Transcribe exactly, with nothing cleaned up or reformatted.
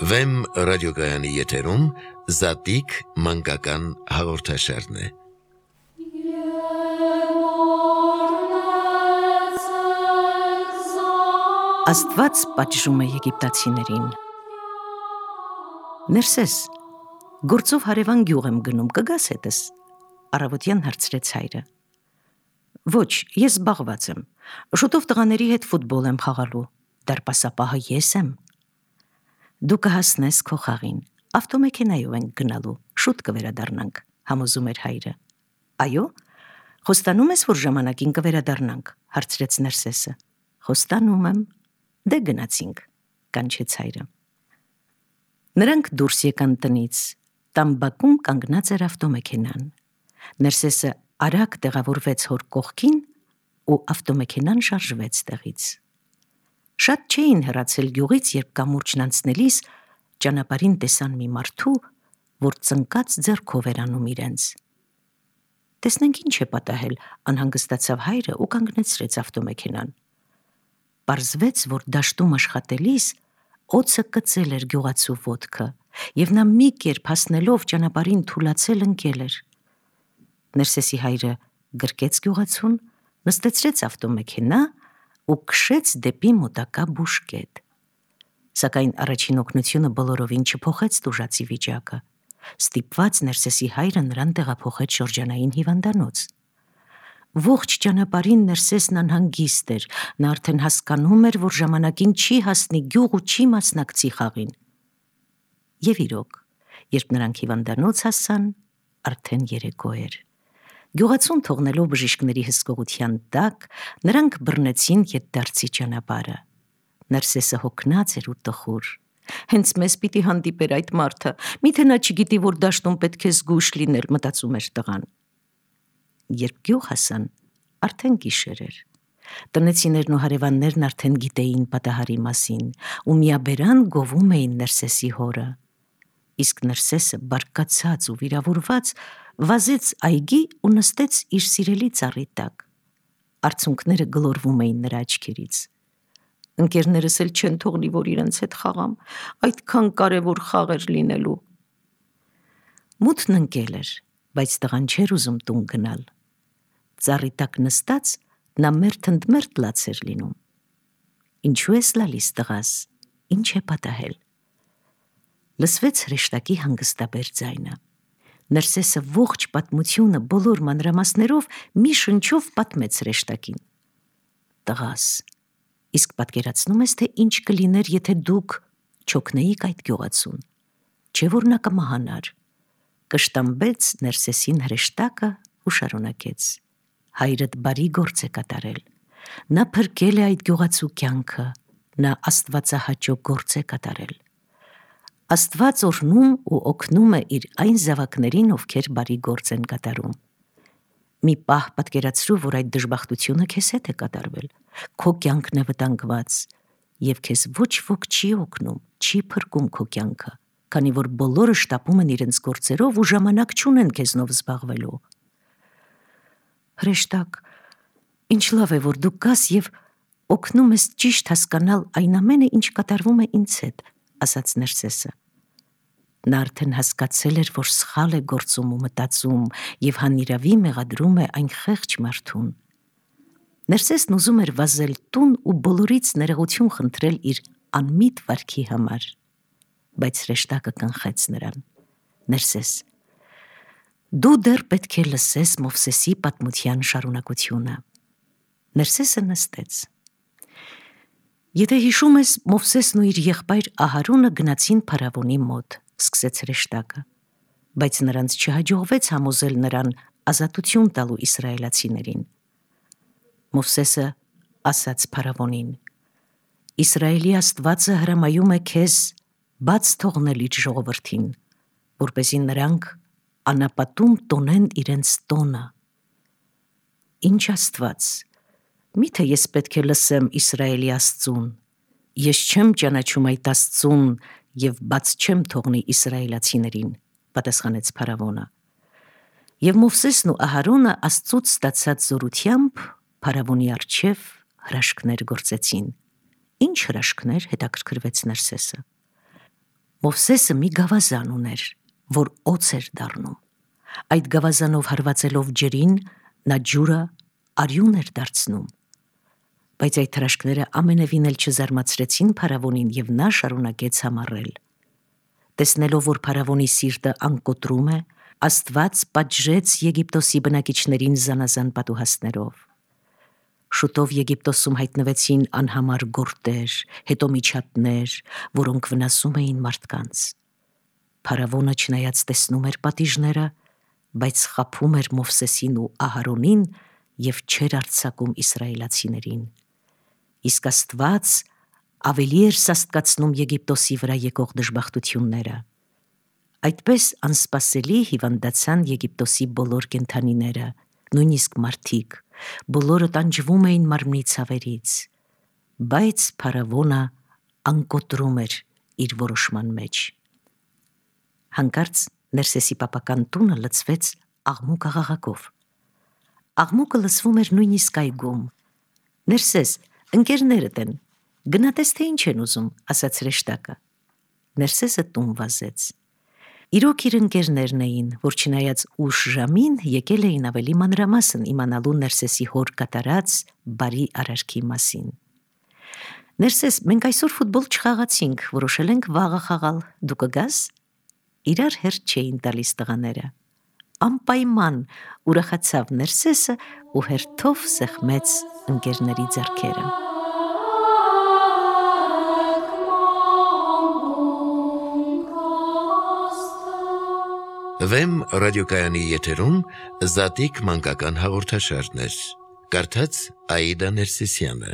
Վեմ ռադիոգայանի եթերում Զատիկ մանկական հաղորդաշարն է։ Աստված պատժում է եգիպտացիներին։ Ներսես, գործով հարևան գյուղ եմ գնում, կգաս հետս, առավոտյան հարցրեց հայրը։ Ոչ, ես զբաղված եմ, շուտով տղաների հետ ֆուտբոլ եմ խաղալու, դարպասապահը ես եմ։ Դու կհասնես քո խաղին, ավտոմեքենայով ենք գնալու, շուտ կվերադառնանք, համոզում էր հայրը։ Այո, խոստանում ես, որ ժամանակին կվերադառնանք, հարցրեց Ներսեսը։ Խոստանում եմ, դե գնացինք, կանչեց հայրը։ Նրանք դուրս եկան տնից, տան բակում կանգնած էր ավտոմեքենան։ Ներսեսը արագ տեղավորվեց հոր կողքին ու ավտոմեքենան շարժվեց տեղից։ Շատ չէին հեռացել գյուղից, երբ կամուրջն անցնելիս ճանապարհին տեսան մի մարդու, որ ծնկած ձեռքով էր անում իրենց։ Տեսնենք ինչ է պատահել, անհանգստացավ հայրը ու կանգնեցրեց ավտոմեքենան։ Պարզվեց, որ դաշտում աշխատելիս օձը կծել էր գյուղացու ոտքը, եւ նա մի կերպ հասնելով ճանապարհին թուլացել ընկել էր։ Ներսեսի հայրը գրկեց գյուղացուն, նստեցրեց ավտոմեքենա ու քշեց դեպի մոտակա բուժկետ։ Սակայն առաջին օգնությունը բոլորովին չփոխեց տուժածի վիճակը։ Ստիպված Ներսեսի հայրը նրան տեղափոխեց շրջանային հիվանդանոց։ Ողջ ճանապարհին Ներսեսն անհանգիստ էր, նա արդեն հասկանում էր, որ ժամանակին չի հասնի գյուղ ու չի մասնակցի խաղին։ Եվ իրոք, երբ նրանք հիվանդանոց հասան, արդեն երեկո էր։ Գյուղացուն թողնելով բժիշկների հսկողության տակ, նրանք բռնեցին ետդարձի ճանապարհը։ Ներսեսը հոգնած էր ու տխուր։ Հենց մեզ պիտի հանդիպեր այդ մարդը, միթե նա չգիտի, որ դաշտում պետք է զգույշ լինել, մտածում էր տղան։ Երբ գյուղ հասան, արդեն գիշեր էր։ Տնեցիներն ու հարևաններն արդեն գիտեին պատահարի մասին ու միաբերան գովում էին Ներսեսի հորը։ Իսկ Ներսեսը բարկացած ու վիրավորված վազեց այգի ու նստեց իր սիրելի ծառի տակ։ Արցունքները գլորվում էին նրա աչքերից։ Ընկերներս էլ չեն թողնի, որ իրենց հետ խաղամ, այդքան կարևոր խաղ էր լինելու։ Մութն ընկել էր, բայց տղան չէր ուզում տուն գնալ։ Ծառի տակ նստած նա մերթընդմերթ լաց էր լինում։ Ինչու ես լալիս, տղաս, ինչ է պատահել։ Լսվեց հրեշտակի հանգստաբեր ձայնը։ Ներսեսը ողջ պատմությունը բոլոր մանրամասներով մի շնչով պատմեց հրեշտակին։ Տղաս, իսկ պատկերացնում ես, թե ինչ կլիներ, եթե դուք չօգնեիք այդ գյուղացուն, չէ՞ որ նա կմահանար։ Կշտամբեց Ներսեսին հրեշտակը ու շարունակեց. հայրդ բարի գործ է կատարել։ Նա փրկել է այդ գյուղացու կյանքը, նա աստվածահաճո գործ է կատարել։ Աստված օրհնում ու օգնում է իր այն զավակներին, ովքեր բարի գործ են կատարում։ Մի պահ պատկերացրու, որ այդ դժբախտությունը քեզ հետ է կատարվել, քո կյանքն է վտանգված, եւ քեզ ոչ ոք չի օգնում, չի փրկում քո կյանքը, քանի որ բոլորը շտապում են իրենց գործերով ու ժամանակ չունեն քեզնով զբաղվելու։ Հրեշտակ, ինչ լավ է, որ դու կաս եւ օգնում ես ճիշտ հասկանալ այն ամենը, ինչ կատարվում է ինձ հետ, ասաց Ներսեսը։ Նա արդեն հասկացել էր, որ սխալ է գործում ու մտածում եւ հանիրավի մեղադրում է այն խեղճ մարդուն։ Ներսեսն ուզում էր վազել տուն ու բոլորից ներողություն խնդրել իր անմիտ վարքի համար, բայց հրեշտակը կանխեց նրան։ Ներսես, դու դեռ պետք է լսես Մովսեսի պատմության շարունակությունը։ Ներսեսը նստեց։ Եթե հիշում ես, Մովսեսն ու իր եղբայր Ահարոնը գնացին փարավոնի մոտ, սկսեց հրեշտակը, բայց նրանց չհաջողվեց համոզել նրան ազատություն տալու իսրայելացիներին։ Մովսեսը ասաց փարավոնին. Իսրայելի Աստվածը հրամայում է քեզ բաց թողնել իր ժողովրդին, որպեսզի նրանք անապատում տոնեն իրենց տոնը։ Ինչ Աստված, միթե ես պետք է լսեմ Իսրայելի Աստծուն, ես չեմ ճանաչում այդ Աստծուն եւ բաց չեմ թողնի իսրայելացիներին, պատասխանեց փարավոնը։ Եվ Մովսեսն ու Ահարոնը Աստծուց ստացած զորությամբ փարավոնի առջև հրաշքներ գործեցին։ Ինչ հրաշքներ, հետաքրքրվեց Ներսեսը։ Մովսեսը մի գավազան ուներ, որ օձ էր դառնում։ Այդ գավազանով հարվածելով ջրին, նա ջուրը արյուն էր դարձնում։ Բայց այդ հրաշքները ամենևին էլ չզարմացրեցին փարավոնին, եւ նա շարունակեց համառել։ Տեսնելով, որ փարավոնի սիրտը անկոտրում է, Աստված պատժեց Եգիպտոսի բնակիչներին զանազան պատուհասներով։ Շուտով Եգիպտոսում հայտնվեցին անհամար գորտեր, հետո միջատներ, որոնք վնասում էին մարդկանց։ Փարավոնը չնայած տեսնում էր պատիժները, բայց խաբում էր Մովսեսին ու Ահարոնին եւ չէր արձակում իսրայելացիներին։ Իսկ Աստված ավելի էր սաստկացնում Եգիպտոսի վրա եկող դժբախտությունները։ Այդպես անսպասելի հիվանդացան Եգիպտոսի բոլոր կենդանիները, նույնիսկ մարդիկ, բոլորը տանջվում էին մարմնի ցավերից, բայց փարավոնը անկոտրում էր իր որոշման մեջ։ Հանկարծ Ներսեսի պապական տունը լցվեց աղմուկ աղաղակով։ Աղմուկը լսվում էր նույնիսկ այգում։ Ներսես, ընկերներդ են, գնա տես թե ինչ են ուզում, ասաց հրեշտակը։ Ներսեսը տուն վազեց։ Իրոք իր ընկերներն էին, որ չնայած ուշ ժամին եկել էին ավելի մանրամասն իմանալու Ներսեսի հոր կատարած բարի արարքի մասին։ Ներսես, մենք այսօր ֆուտբոլ չխաղացինք, որոշել ենք վաղը խաղալ, դու կգաս։ Իրար հերթ չէին տալիս տղաները։ Անպայման ուրախացավ Ներսեսը ու հերթով սեղմեց ընկերների ձեռքերը։ Վեմ ռադիոկայանի եթերում Զատիկ մանկական հաղորդաշարներ։ Կարդաց Աիդա Ներսիսյանը։